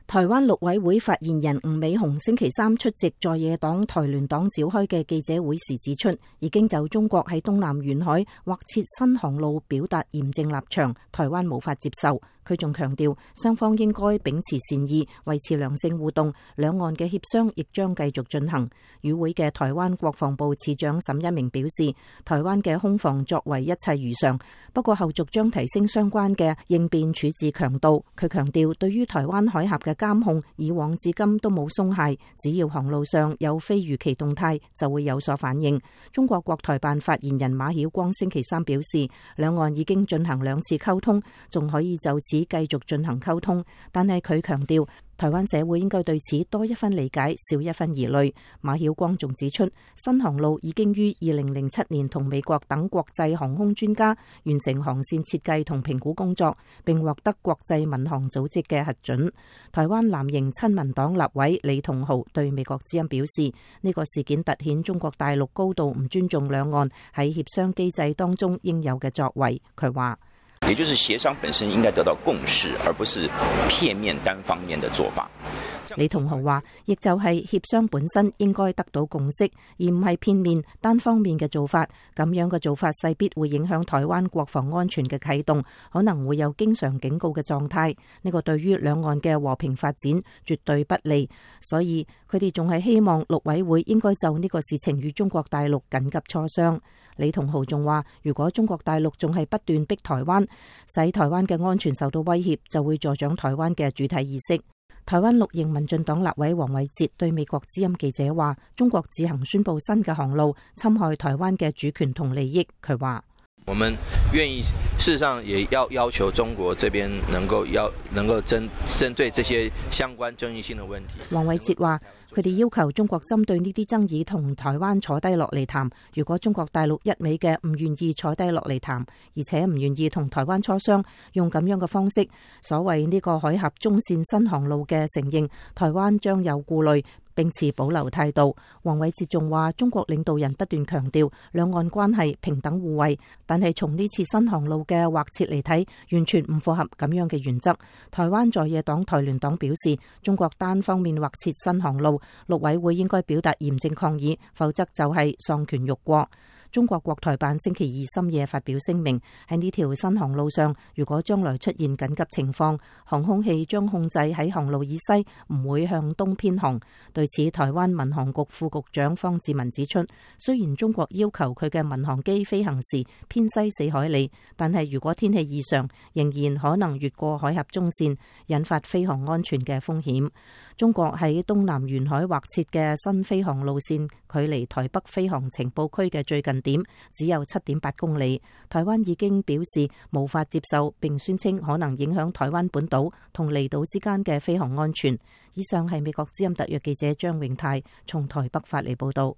台灣陸委會發言人吳美雄星期三出席在野黨台聯黨召開嘅記者會時指出，已經就中國喺東南沿海劃設新航路表達嚴正立場，台灣無法接受。佢仲強調，雙方應該秉持善意，維持良性互動，兩岸嘅協商亦將繼續進行。與會嘅台灣國防部次長沈一鳴表示，台灣嘅空防作為一切如常，不過後續將提升相關嘅應變處置強度。佢強調，對於台灣海峽嘅監控，以往至今都冇鬆懈，只要航路上有非預期動態，就會有所反應。中國國台辦發言人馬曉光星期三表示，兩岸已經進行2次溝通，仲可以就此繼續進行溝通，但係佢強調，台灣社會應該對此多一分理解，少一分疑慮。馬曉光仲指出，新航路已經於2007年同美國等國際航空專家完成航線設計同評估工作，並獲得國際民航組織嘅核准。台灣藍營親民黨立委李同豪對美國之音表示，呢個事件凸顯中國大陸高度唔尊重兩岸喺協商機制當中應有嘅作為。佢話，也就是協商本身應該得到共識，而不是片面單方面的做法。李同豪話，亦就係協商本身應該得到共識，而唔係片面單方面嘅做法。咁樣嘅做法勢必會影響台灣國防安全嘅啟動，可能會有經常警告嘅狀態。呢個對於兩岸嘅和平發展絕對不利。所以佢哋仲係希望陸委會應該就呢個事情與中國大陸緊急磋商。李同豪仲話，如果中國大陸仲係不斷逼台灣，使台灣嘅安全受到威脅，就會助長台灣嘅主體意識。台灣綠營民進黨立委黃偉哲對美國之音記者話，中國自行宣布新嘅航路，侵害台灣嘅主權同利益。佢話，我們願意，事實上也要求中國這邊能夠針對這些相關爭議性的問題。黃偉哲話，佢哋要求中國針對呢啲爭議同台灣坐低落嚟談。如果中國大陸一味嘅唔願意坐低落嚟談，而且唔願意同台灣磋商，用咁樣嘅方式，所謂呢個海峽中線新航路嘅承認，台灣將有顧慮，並持保留態度。黃偉哲仲話，中國領導人不斷強調兩岸關係平等互惠，但係從呢次新航路嘅劃設嚟睇，完全唔符合咁樣嘅原則。台灣在野黨台聯黨表示，中國單方面劃設新航路，陸委會應該表達嚴正抗議，否則就係喪權辱國。中國國台辦星期二深夜發表聲明，喺呢條新航路上，如果將來出現緊急情況，航空器將控制喺航路以西，唔會向東偏航。對此，台灣民航局副局長方志文指出，雖然中國要求佢嘅民航機飛行時偏西4海里，但係如果天氣異常，仍然可能越過海峽中線，引發飛航安全嘅風險。中國喺東南沿海劃設嘅新飛航路線，距離台北飛航情報區嘅最近點只有7.8公里。台灣已經表示無法接受，並宣稱可能影響台灣本島同離島之間嘅飛航安全。以上係美國之音特約記者張永泰從台北發嚟報道。